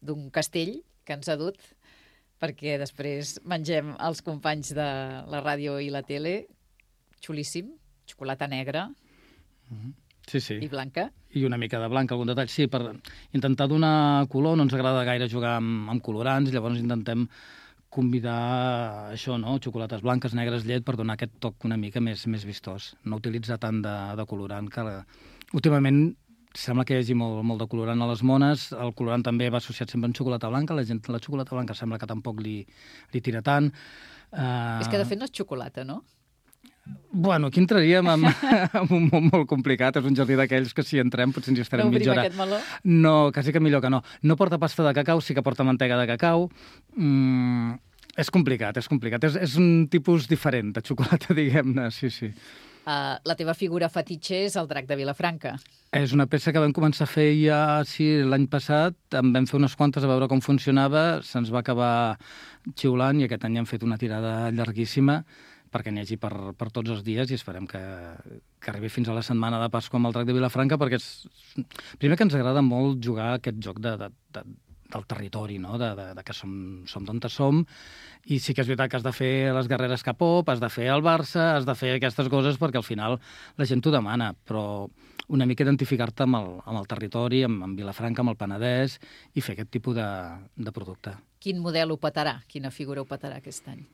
d'un castell que ens ha dut, perquè després mengem els companys de la ràdio i la tele. Xulíssim, xocolata negra.
Mm-hmm. Sí, sí.
I blanca.
I una mica de blanca, algun detall. Sí, per intentar donar color, no ens agrada gaire jugar amb, amb colorants, llavors intentem convidar això, no? Xocolates blanques, negres, llet, per donar aquest toc una mica més, més vistós. No utilitzar tant de, de colorant, que la... últimament sembla que hi hagi molt, molt de colorant a les mones. El colorant també va associat sempre amb xocolata blanca. La gent, la xocolata blanca sembla que tampoc li, li tira tant. Uh...
És que de fet no és xocolata, no?
Bueno, aquí entraríem en, en un món molt complicat. És un jardí d'aquells que si entrem potser ens hi estarem
no
mitja hora.
Aquest meló?
No, quasi que millor que no. No porta pasta de cacau, sí que porta mantega de cacau. Mm, és complicat, és complicat. És, és un tipus diferent de xocolata, diguem-ne, sí, sí.
Uh, la teva figura fetitxe és el drac de Vilafranca.
És una peça que vam començar a fer ja sí, l'any passat, en vam fer unes quantes a veure com funcionava, se'ns va acabar xiulant i aquest any hem fet una tirada llarguíssima perquè n'hi hagi per, per tots els dies i esperem que, que arribi fins a la setmana de Pasqua amb el drac de Vilafranca, perquè és, primer que ens agrada molt jugar aquest joc de, de, de, del territori, no? de, de, de que som, som d'on som, i sí que és veritat que has de fer les guerreres K-pop, has de fer el Barça, has de fer aquestes coses perquè al final la gent t'ho demana, però una mica identificar-te amb, el, amb el territori, amb, amb Vilafranca, amb el Penedès, i fer aquest tipus de, de producte.
Quin model ho petarà? Quina figura ho petarà aquest any?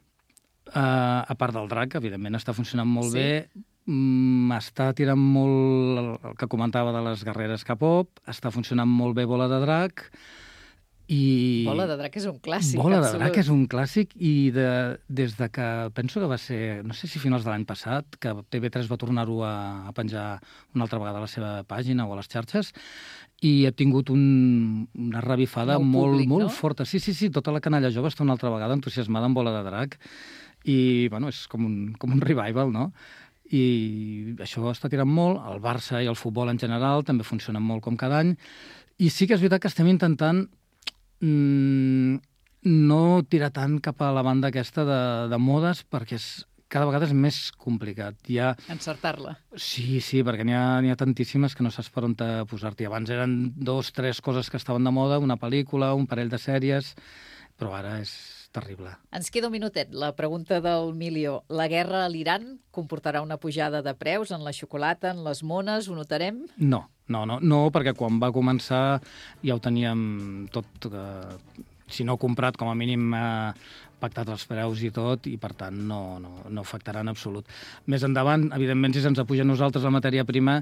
Uh, a part del drac, evidentment està funcionant molt
Sí.
bé, mm, està tirant molt el, el que comentava de les guerreres K-pop, està funcionant molt bé Bola de Drac, i...
Bola de Drac és un clàssic,
Bola de
absolut.
Drac és un clàssic, i de, des de que, penso que va ser, no sé si finals de l'any passat, que T V tres va tornar-ho a, a penjar una altra vegada a la seva pàgina o a les xarxes, i he tingut un, una revifada
Nou
molt,
públic,
molt
no?
forta. Sí, sí, sí, tota la canalla jove està una altra vegada entusiasmada amb Bola de Drac, i bueno, és com un, com un revival, no? I això està tirant molt, el Barça i el futbol en general també funcionen molt com cada any, i sí que és veritat que estem intentant mm, no tirar tant cap a la banda aquesta de, de modes, perquè és, cada vegada és més complicat. Hi ha...
Encertar-la.
Sí, sí, perquè n'hi ha, n'hi ha tantíssimes que no saps per on te posar-t'hi. Abans eren dos, tres coses que estaven de moda, una pel·lícula, un parell de sèries, però ara és terrible.
Ens queda un minutet. La pregunta del milió. La guerra a l'Iran comportarà una pujada de preus en la xocolata, en les mones? Ho notarem?
No, no, no, no, perquè quan va començar ja ho teníem tot, eh, si no comprat, com a mínim eh, pactat els preus i tot, i per tant no, no, no afectarà en absolut. Més endavant, evidentment, si se'ns apuja a nosaltres la matèria prima,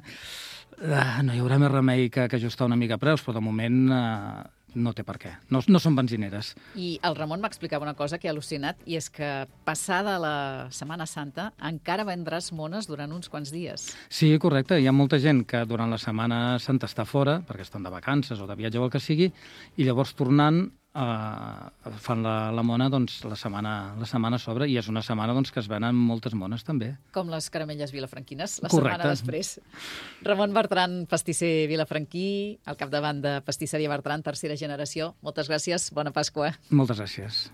eh, no hi haurà més remei que, que ajustar una mica preus, però de moment eh, no té per què. No, no són benzineres.
I el Ramon m'explicava una cosa que he al·lucinat, i és que passada la Setmana Santa encara vendràs mones durant uns quants dies.
Sí, correcte. Hi ha molta gent que durant la Setmana Santa està fora, perquè estan de vacances o de viatge o el que sigui, i llavors tornant eh, fan la, la mona, doncs la setmana, la setmana s'obre, i és una setmana doncs, que es venen moltes mones també.
Com les caramelles vilafranquines, la
Correcte.
setmana després. Ramon Bertran, pastisser vilafranquí, al capdavant de Pastisseria Bertran, tercera generació. Moltes gràcies, bona Pasqua.
Moltes gràcies.